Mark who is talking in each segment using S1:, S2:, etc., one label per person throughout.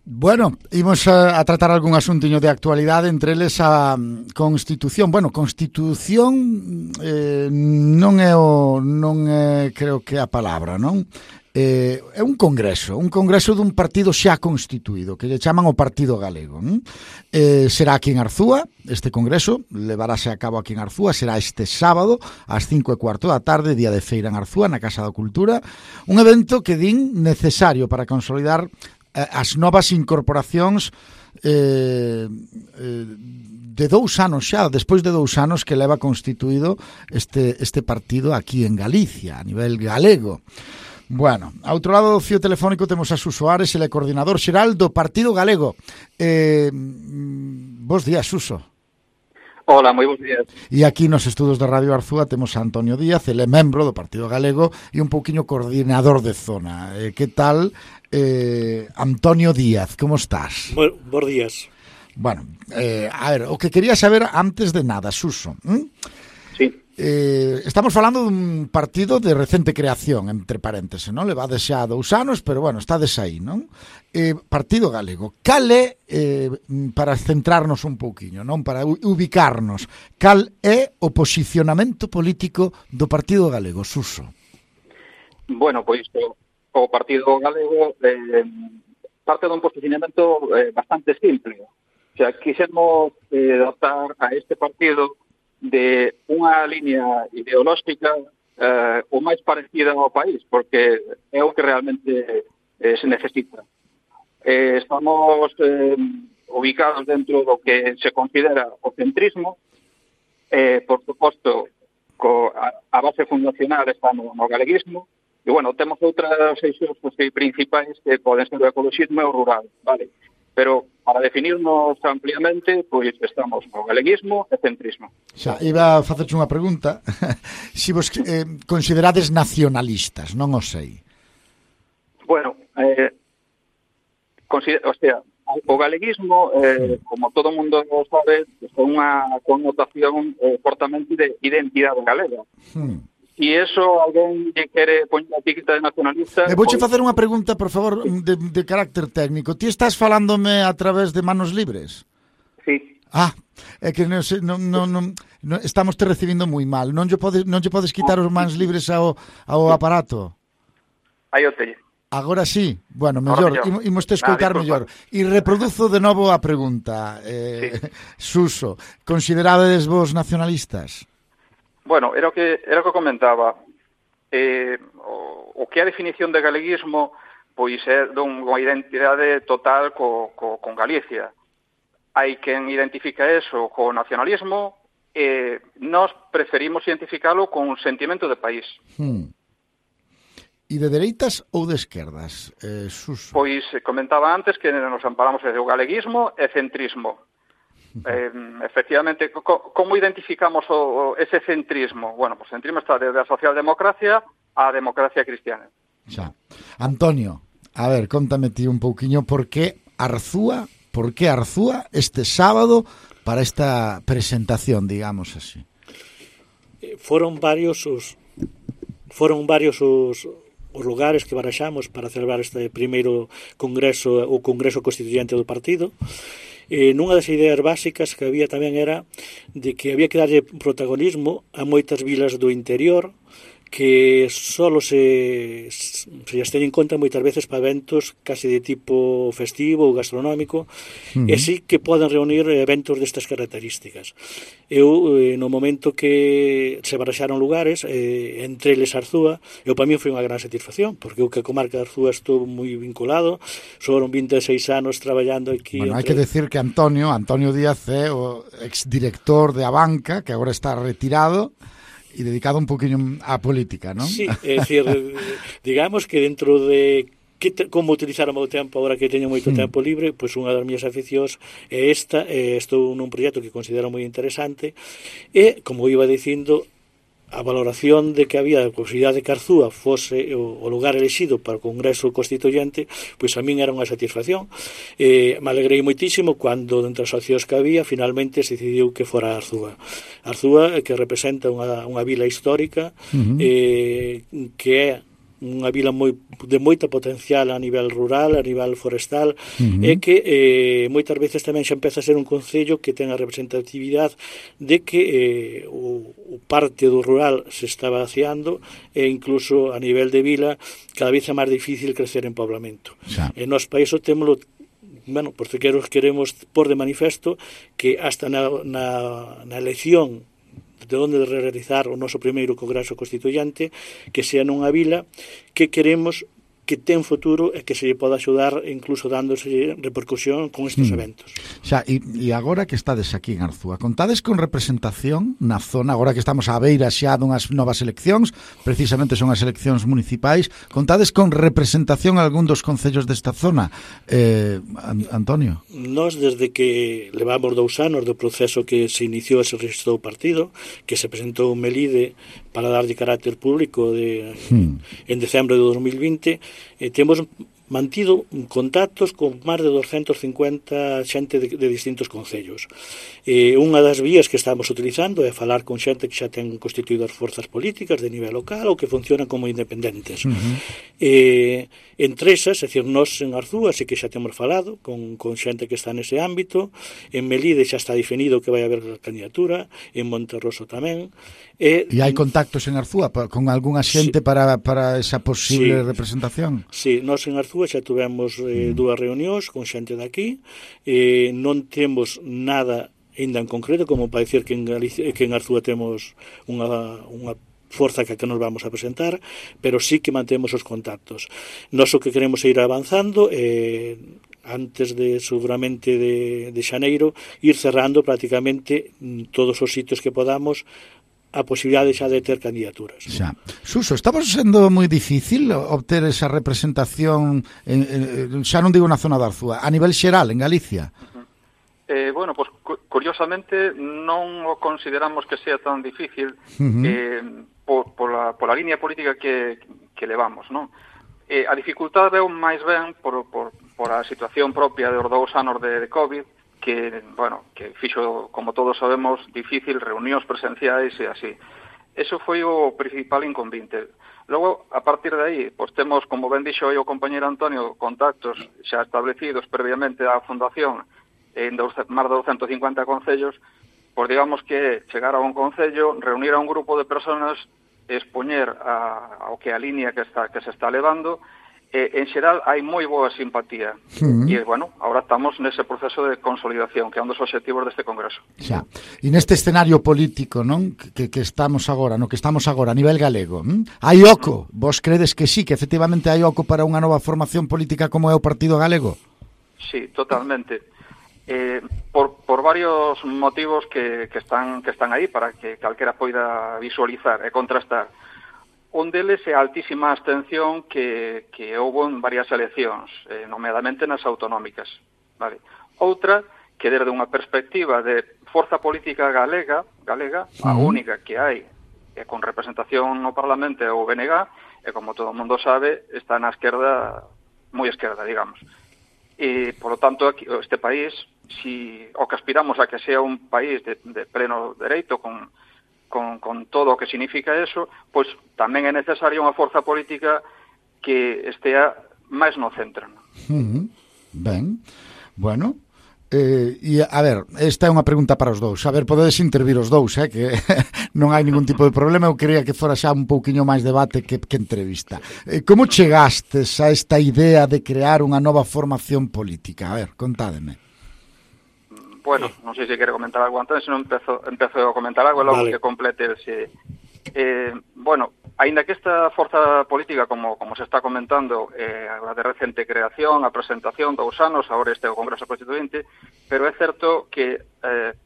S1: Bueno, imos a tratar algún asuntiño de actualidade, entre eles a Constitución. Bueno, Constitución non é creo que a palabra, non? É un congreso dun partido xa constituído, que lle chaman o Partido Galego. Será aquí en Arzúa, este congreso levarase a cabo aquí en Arzúa, será este sábado ás 5:15 da tarde, día de feira en Arzúa, na Casa da Cultura, un evento que din necesario para consolidar as novas incorporacións de 2 anos xa, despois de 2 anos que leva constituído este partido aquí en Galicia, a nivel galego. Bueno, a outro lado do fío telefónico temos a Suso Ares, ele é coordinador xeral do Partido Galego. Bos días, Suso.
S2: Hola, moi bons días.
S1: E aquí nos estudos da Radio Arzúa temos a Antonio Díaz, ele é membro do Partido Galego e un pouquiño coordinador de zona. Que tal, Antonio Díaz, como estás?
S3: Bos días.
S1: Bueno, a ver, o que quería saber antes de nada, Suso.
S2: Sí.
S1: Estamos falando dun partido de recente creación, entre paréntesis, non? Levade xa 2 anos, pero bueno, estades aí, non? Partido Galego. Cal é, para centrarnos un pouquiño, non? Para ubicarnos, cal é o posicionamento político do Partido Galego, Suso?
S2: Bueno, pois o Partido Galego parte dun posicionamento bastante simple. O sea, quixemos dotar a este partido de unha línea ideolóxica o máis parecida ao país, porque é o que realmente se necesita. Estamos ubicados dentro do que se considera o centrismo, por suposto, a base fundacional está no galeguismo, e, bueno, temos outras eixos principais que poden ser o ecologismo e o rural, vale? Pero para definirnos ampliamente, pois estamos no galeguismo e centrismo.
S1: Xa, iba a facerche unha pregunta. Si vos considerades nacionalistas, non o sei.
S2: Bueno, o galeguismo, como todo mundo sabe, é unha connotación fortemente de identidade galega. E iso alguén lle quere poñer a etiqueta de nacionalista...
S1: Vouche facer unha pregunta, por favor, de carácter técnico. Ti estás falándome a través de manos libres?
S2: Sí.
S1: É que non estamos te recibindo moi mal. Non lle podes quitar os mans libres ao aparato?
S2: Aí o teño.
S1: Agora sí, bueno, mellor, imos te escoitar mellor. E reproduzo de novo a pregunta. Suso, considerades vos nacionalistas?
S2: Bueno, era o que comentaba. O que é a definición de galeguismo, pois é dunha identidade total con Galicia. Hai quen identifica eso co nacionalismo e nós preferimos identificalo con un sentimento de país.
S1: E de dereitas ou de esquerdas, Suso?
S2: Pois comentaba antes que nos amparamos do galeguismo e centrismo. Efectivamente, como identificamos ese centrismo? Bueno, pues centrismo está desde a socialdemocracia á democracia cristiana.
S1: Xa. Antonio, a ver, contame ti un pouquiño por que Arzúa este sábado para esta presentación, digamos así.
S3: Foron varios os lugares que baraxamos para celebrar este primeiro congreso, o Congreso Constituyente do partido. Nunha das ideas básicas que había tamén era de que había que darlle protagonismo a moitas vilas do interior que solo se as ten en conta moitas veces para eventos casi de tipo festivo ou gastronómico, e así que poden reunir eventos destas características. Eu, no momento que se baraxaron lugares, entre eles Arzúa, para mí foi unha gran satisfacción, porque o que a comarca de Arzúa estuvo moi vinculado, foron 26 anos traballando aquí.
S1: Bueno, hai que decir que Antonio Díaz é o exdirector de Abanca, que agora está retirado, e dedicado un poquinho á política, non?
S3: Sí, é dicir, digamos que dentro de como utilizar o meu tempo agora que teño moito tempo libre, pois unha das miñas aficións é esta, estou nun proxecto que considero moi interesante e, como iba dicindo, a valoración de que había a posibilidade de que Arzúa fose o lugar elexido para o Congreso Constituyente, pois a min era unha satisfacción. Me alegrei moitísimo cando, dentre as opcións que había, finalmente se decidiu que fora Arzúa. Arzúa, que representa unha vila histórica, que é unha vila de moita potencial a nivel rural, a nivel forestal, e que moitas veces tamén xa empeza a ser un concello que ten a representatividade de que o parte do rural se está vaciando e incluso a nivel de vila cada vez é máis difícil crecer en poblamento. E nos países temos, bueno, por queremos pôr de manifesto que hasta na elección de onde realizar o noso primeiro Congreso Constituyente, que sea nunha vila que queremos que ten futuro e que se lle poda axudar incluso dándose repercusión con estes eventos.
S1: Xa, e agora que estades aquí en Arzúa, contades con representación na zona, agora que estamos á beira xa dunhas novas eleccións, precisamente son as eleccións municipais, contades con representación en algún dos concellos desta zona? Antonio?
S3: Nós, desde que levamos 2 anos do proceso que se iniciou e se registrou o partido, que se presentou un Melide para darlle carácter público en decembro de 2020, temos mantido contactos con máis de 250 xente de distintos concellos. Unha das vías que estamos utilizando é falar con xente que xa ten constituído as forzas políticas de nivel local ou que funcionan como independentes. Entre esas, é dicir, nós en Arzúa sí que xa temos falado con xente que está nese ámbito, en Melide xa está definido que vai haber candidatura, en Monterroso tamén.
S1: E hai contactos en Arzúa con algunha xente para esa posible representación?
S3: Sí, nós en Arzúa xa tuvemos 2 reunións con xente daqui, non temos nada ainda en concreto como para dicir que en Arzúa temos unha forza que nos vamos a presentar, pero sí que mantemos os contactos. Nós o que queremos é ir avanzando antes de seguramente de xaneiro, ir cerrando prácticamente todos os sitios que podamos a posibilidade xa de ter candidaturas.
S1: Xa. Suso, estamos sendo moi difícil obter esa representación, xa non digo na zona de Arzúa, a nivel xeral, en Galicia?
S2: Bueno, pues curiosamente non o consideramos que sea tan difícil pola línea política que levamos, non? A dificultade é máis ben por a situación propia dos 2 anos de COVID, que, bueno, que fixo, como todos sabemos, difícil reunións presenciais e así. Eso foi o principal inconveniente. Logo, a partir de aí, pois temos, como ben dixo aí o compañeiro Antonio, contactos xa establecidos previamente á fundación en máis de 250 concellos, pois digamos que chegar a un concello, reunir a un grupo de personas, expoñer ao que a línea que se está levando. En xeral, hai moi boa simpatía. E, bueno, agora estamos nese proceso de consolidación, que é un dos obxectivos deste Congreso.
S1: Xa. E neste escenario político, non? Que estamos agora, no que estamos agora, a nivel galego, hai oco? Vos credes que sí, que efectivamente hai oco para unha nova formación política como é o Partido Galego?
S2: Sí, totalmente. Por varios motivos que están aí para que calquera poida visualizar e contrastar. Un deles é a altísima abstención que houve en varias eleccións, nomeadamente nas autonómicas. Vale. Outra, que desde unha perspectiva de forza política galega, a única que hai con representación no Parlamento é o BNG, e como todo o mundo sabe, está na esquerda, moi esquerda, digamos. E, por lo tanto, aquí, este país, si o que aspiramos a que sea un país de pleno dereito, con todo o que significa eso, pois tamén é necesaria unha forza política que estea máis no centro.
S1: Ben, bueno, e a ver, esta é unha pregunta para os dous. A ver, podedes intervir os dous, que non hai ningún tipo de problema. Eu quería que fora xa un pouquiño máis debate que entrevista. Como chegastes a esta idea de crear unha nova formación política? A ver, contádeme.
S2: Bueno, non sei se quere comentar algo antes, senón empezo a comentar algo e logo que complete bueno, aínda que esta forza política, como se está comentando, a de recente creación, a presentación, 2 anos, agora este é o Congreso Constituinte, pero é certo que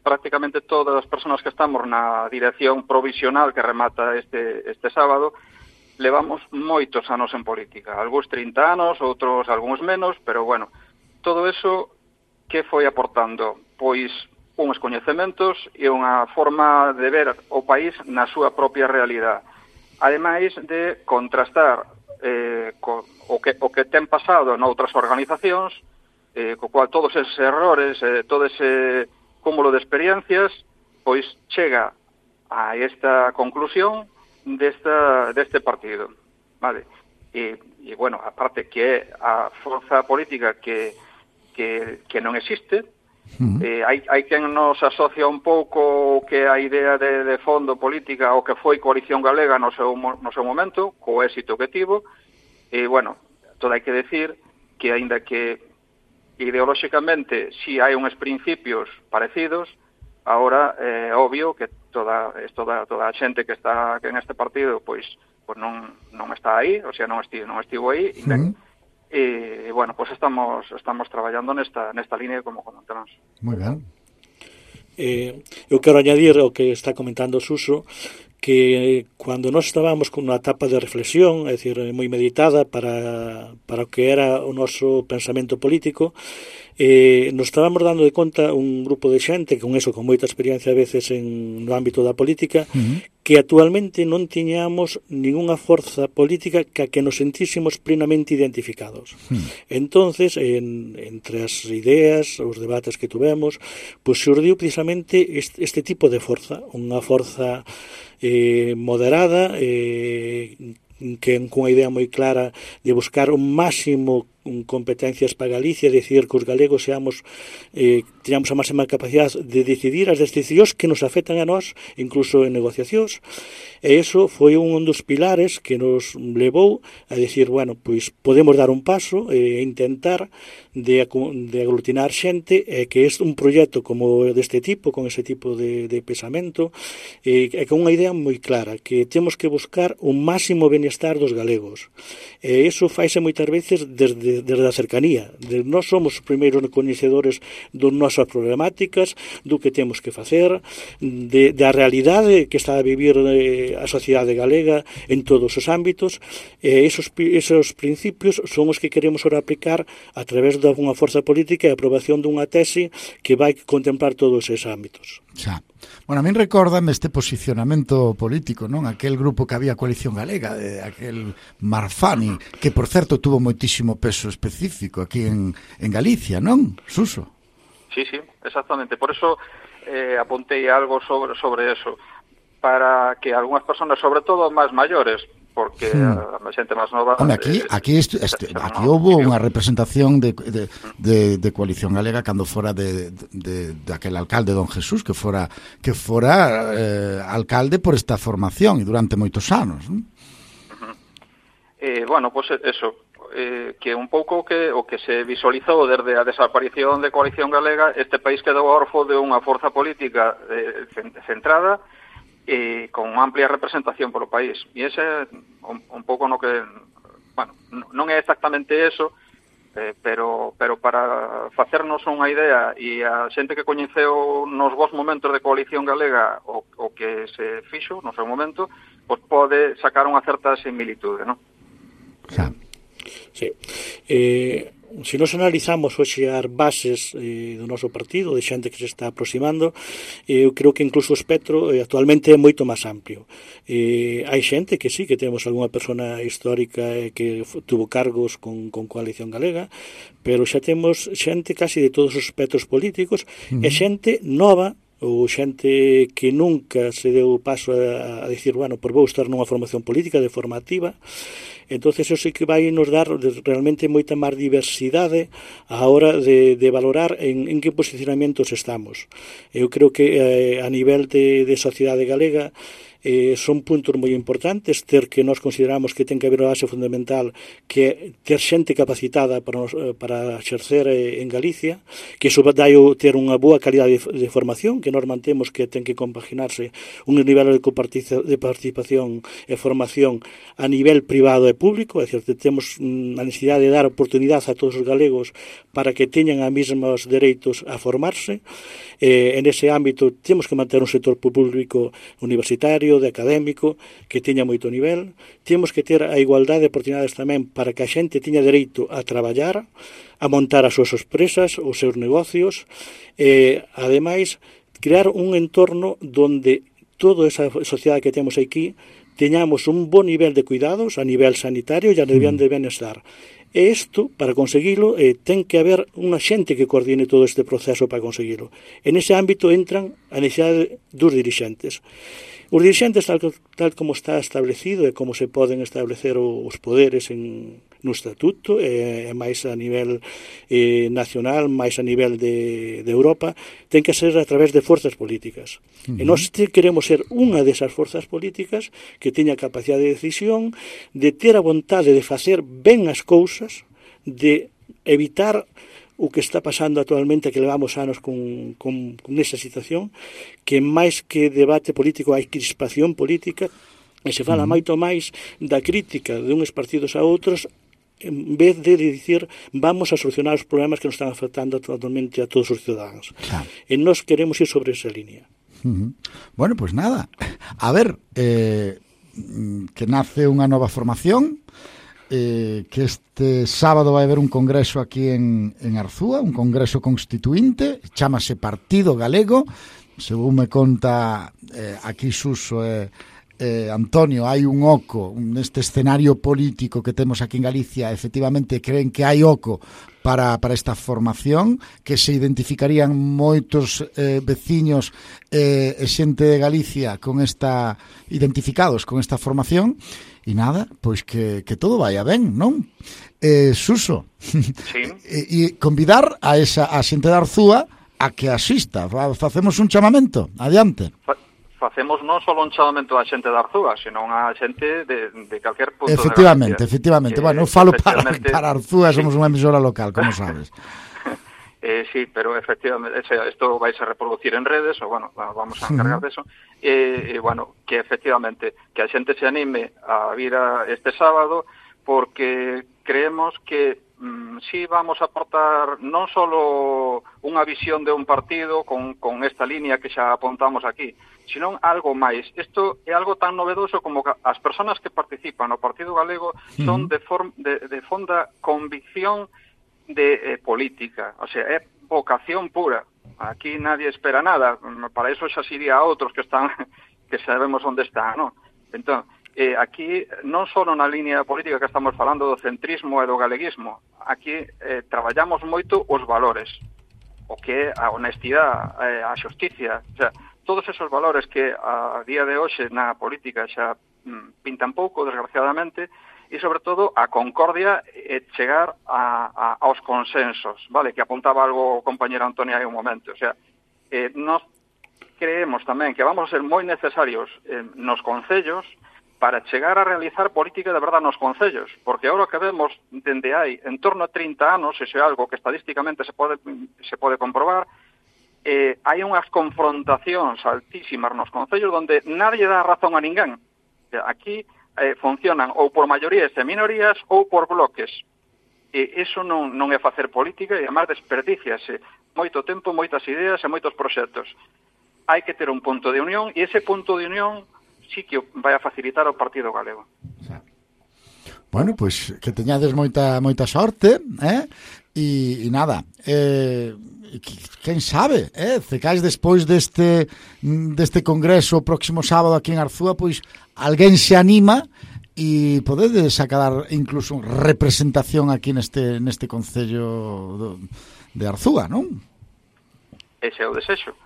S2: prácticamente todas as persoas que estamos na dirección provisional que remata este sábado, levamos moitos anos en política, algúns 30 anos, outros algúns menos, pero bueno, todo eso que foi aportando? Pois uns coñecementos e unha forma de ver o país na súa propia realidade. Ademais de contrastar o que ten pasado noutras organizacións, co cual todos eses errores, todo ese cúmulo de experiencias, pois chega a esta conclusión deste partido. Vale. e bueno, aparte que é a forza política que non existe. Hai quen nos asocia un pouco que a idea de fondo política o que foi Coalición Galega no seu momento, co éxito que tivo, e, bueno, todo hai que decir que, aínda que ideolóxicamente si hai uns principios parecidos, agora é obvio que toda a xente que está en este partido pois non está aí, o sea, non estivo aí, e bueno, pues estamos traballando nesta línea como comentamos.
S1: Moi ben.
S3: Eu quero añadir o que está comentando Suso, que cando nós estábamos con unha etapa de reflexión, é dicir, moi meditada para o que era o noso pensamento político, nos estábamos dando de conta un grupo de xente con moita experiencia a veces no ámbito da política, que actualmente non tiñamos ningunha forza política que nos sentísemos plenamente identificados. Entonces, entre as ideas, os debates que tuvemos, pues xurdiu precisamente este tipo de forza, unha forza moderada, que cunha idea moi clara de buscar un máximo competencias para Galicia, decir que os galegos teñamos a máxima capacidade de decidir as decisións que nos afectan a nós, incluso en negociacións, e iso foi un dos pilares que nos levou a decir, bueno, pois podemos dar un paso e intentar de aglutinar xente, que é un proxecto como deste tipo, con ese tipo de pensamento, e con unha idea moi clara, que temos que buscar un máximo benestar dos galegos, e iso faise moitas veces desde a cercanía. Nós somos os primeiros coñecedores das nosas problemáticas, do que temos que facer, da realidade que está a vivir a sociedade galega en todos os ámbitos, e esos principios son os que queremos ahora aplicar a través dunha forza política e a aprobación dunha tese que vai contemplar todos esos ámbitos.
S1: Xa. Bueno, a min recórdame este posicionamento político, non? Aquel grupo que había Coalición Galega, aquel Marfani, que, por certo, tuvo moitísimo peso específico aquí en Galicia, non, Suso?
S2: Sí, exactamente. Por eso apuntei algo sobre eso, para que algunhas personas, sobre todo máis maiores, porque a xente máis nova...
S1: Hombre, aquí houve unha representación de Coalición Galega cando fora de aquel alcalde, don Jesús, que fora alcalde por esta formación e durante moitos anos, non?
S2: Bueno, pues eso, que un pouco o que se visualizou desde a desaparición de Coalición Galega, este país quedou orfo de unha forza política centrada e con amplia representación polo país. E ese é un pouco no que, bueno, non é exactamente eso, pero para facernos unha idea, e a xente que coñeceu nos vos momentos de Coalición Galega o que se fixo no seu momento, pois pode sacar unha certa similitude, non?
S1: Xa.
S3: Sí. Se nos analizamos hoxe as bases do noso partido, de xente que se está aproximando, eu creo que incluso o espectro actualmente é moito máis amplio. Hai xente que sí, que temos algunha persona histórica que tuvo cargos con Coalición Galega, pero xa temos xente casi de todos os espectros políticos, e xente nova, ou xente que nunca se deu paso a dicir, bueno, por vou estar nunha formación política de formativa. Entonces, eso sí que vai nos dar realmente moita máis diversidade a hora de valorar en que posicionamentos estamos. Eu creo que a nivel de sociedade galega son puntos moi importantes, ter que nós consideramos que ten que haber unha base fundamental, que ter xente capacitada para exercer en Galicia, que iso dai ter unha boa calidade de formación, que nós mantemos que ten que compaginarse un nivel de participación e formación a nivel privado e público, é dicir, temos a necesidade de dar oportunidade a todos os galegos para que teñan os mesmos dereitos a formarse. En ese ámbito temos que manter un sector público universitario, de académico, que teña moito nivel. Temos que ter a igualdade de oportunidades tamén para que a xente teña dereito a traballar, a montar as súas empresas, os seus negocios, e, ademais, crear un entorno donde toda esa sociedade que temos aquí teñamos un bon nivel de cuidados a nivel sanitario e a nivel de benestar. E isto, para conseguilo, ten que haber unha xente que coordine todo este proceso para conseguilo. En ese ámbito entran a necesidade dos dirixentes. Os dirixentes, tal como está establecido e como se poden establecer os poderes no estatuto, e máis a nivel nacional, máis a nivel de Europa, ten que ser a través de forzas políticas. E nós queremos ser unha desas forzas políticas que teña capacidade de decisión, de ter a vontade de facer ben as cousas, de evitar o que está pasando actualmente, que levamos anos con esa situación, que máis que debate político hai crispación política, e se fala moito máis da crítica de uns partidos a outros, en vez de dicir vamos a solucionar os problemas que nos están afectando actualmente a todos os ciudadanos. Claro. E nós queremos ir sobre esa línea.
S1: Bueno, pues nada, a ver, que nace unha nova formación, que este sábado vai haber un congreso aquí en Arzúa, un congreso constituinte, chámase Partido Galego, según me conta aquí Suso Antonio, hai un oco neste escenario político que temos aquí en Galicia, efectivamente creen que hai oco para esta formación, que se identificarían moitos veciños e xente de Galicia identificados con esta formación. E nada, pois que todo vaya ben, non? Suso,
S2: sí.
S1: E convidar a xente de Arzúa a que asista. Facemos un chamamento, adiante.
S2: Facemos non só un chamamento a xente de Arzúa, senón a xente de calquer punto
S1: efectivamente,
S2: de Galicia.
S1: Efectivamente, bueno, eu falo para Arzúa, somos unha emisora local, como sabes.
S2: Sí, pero efectivamente, isto vai a reproducir en redes, ou bueno, vamos a encargar de eso, bueno, que efectivamente, que a xente se anime a vir este sábado, porque creemos que sí vamos a aportar non só unha visión de un partido con esta línea que xa apuntamos aquí, sino algo máis. Isto é algo tan novedoso como que as persoas que participan no Partido Galego son de fonda convicción de política, o sea, é vocación pura. Aquí nadie espera nada, para eso xa sería a outros que sabemos onde están, non? Entón, aquí non só na línea política que estamos falando do centrismo e do galeguismo, aquí traballamos moito os valores, o que é a honestidade, a xusticia, o sea, todos esos valores que a día de hoxe na política xa pintan pouco, desgraciadamente, e, sobre todo, a concordia e chegar aos consensos, vale? Que apuntaba algo o compañero Antonio hai un momento. O sea, nós creemos tamén que vamos a ser moi necesarios nos concellos para chegar a realizar política de verdade nos concellos, porque agora que vemos dende hai en torno a 30 anos, iso é algo que estadísticamente se pode comprobar, hai unhas confrontacións altísimas nos concellos onde nadie dá razón a ninguén. Aquí funcionan ou por maiorías e minorías ou por bloques. E iso non é facer política e, además, desperdiciase moito tempo, moitas ideas e moitos proxectos. Hai que ter un punto de unión e ese punto de unión sí que vai a facilitar o Partido Galego.
S1: Bueno, pois que teñades moita sorte, e nada, quen sabe, cecais despois deste congreso o próximo sábado aquí en Arzúa, pois alguén se anima e podedes acadar incluso representación aquí neste concello de Arzúa, non?
S2: Ese é o desexo.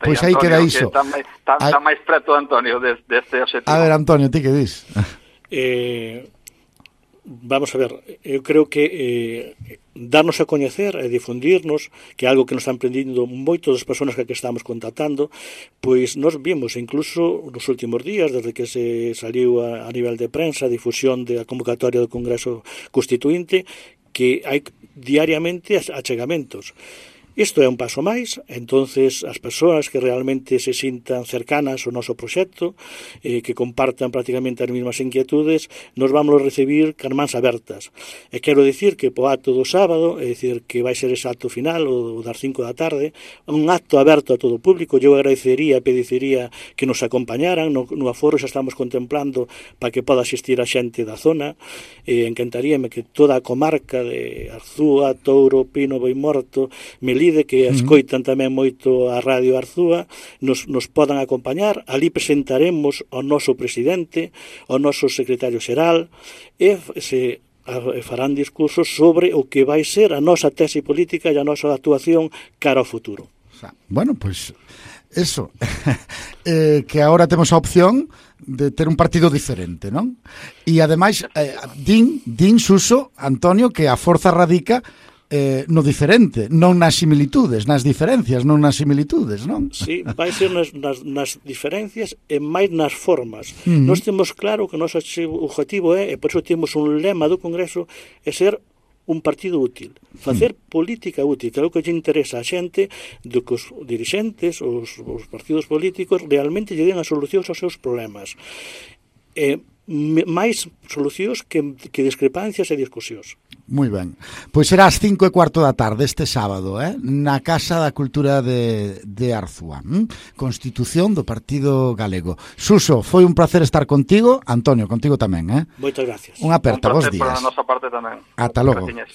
S1: Pois aí queda iso.
S2: Está máis preto, Antonio, deste objetivo.
S1: A ver, Antonio, ti que dis?
S3: Vamos a ver, eu creo que darnos a coñecer e difundirnos, que é algo que nos están aprendindo moitas das persoas que estamos contactando, pois nos vimos incluso nos últimos días, desde que se saliu a nivel de prensa a difusión da convocatoria do Congreso Constituinte, que hai diariamente achegamentos. Isto é un paso máis, entonces as persoas que realmente se sintan cercanas ao noso proxecto, que compartan prácticamente as mesmas inquietudes, nos vamos a recibir con mans abertas. E quero dicir que po acto do sábado, é dicir que vai ser ese acto final, o das 5 da tarde, un acto aberto a todo o público. Eu agradecería, pediría que nos acompañaran, no aforo xa estamos contemplando para que poda asistir a xente da zona, encantaríame que toda a comarca de Arzúa, Touro, Pino, Boimorto, Melide, que escoitan tamén moito a Radio Arzúa, nos podan acompañar. Ali presentaremos ao noso presidente, ao noso secretario xeral, e se farán discursos sobre o que vai ser a nosa tese política e a nosa actuación cara ao futuro.
S1: Bueno, pois eso, que agora temos a opción de ter un partido diferente, non? E ademais, din Suso, Antonio, que a forza radica no diferente, non nas similitudes, nas diferencias, non nas similitudes, non?
S3: Sí, vai ser nas diferencias e máis nas formas. Nós temos claro que o noso objetivo é, e por iso temos un lema do Congreso, é ser un partido útil, facer política útil, que é o que lle interesa a xente, do que os dirixentes, os partidos políticos realmente lle den as solucións aos seus problemas. Máis solucións que discrepancias e discusións.
S1: Moi ben. Pois será ás 5:15 da tarde este sábado, na Casa da Cultura de Arzúa. Constitución do Partido Galego. Suso, foi un placer estar contigo. Antonio, contigo tamén,
S3: Moitas gracias.
S1: Unha aperta, bons días.
S2: Un placer para a nosa parte tamén.
S1: Ata logo.
S2: Graciñas.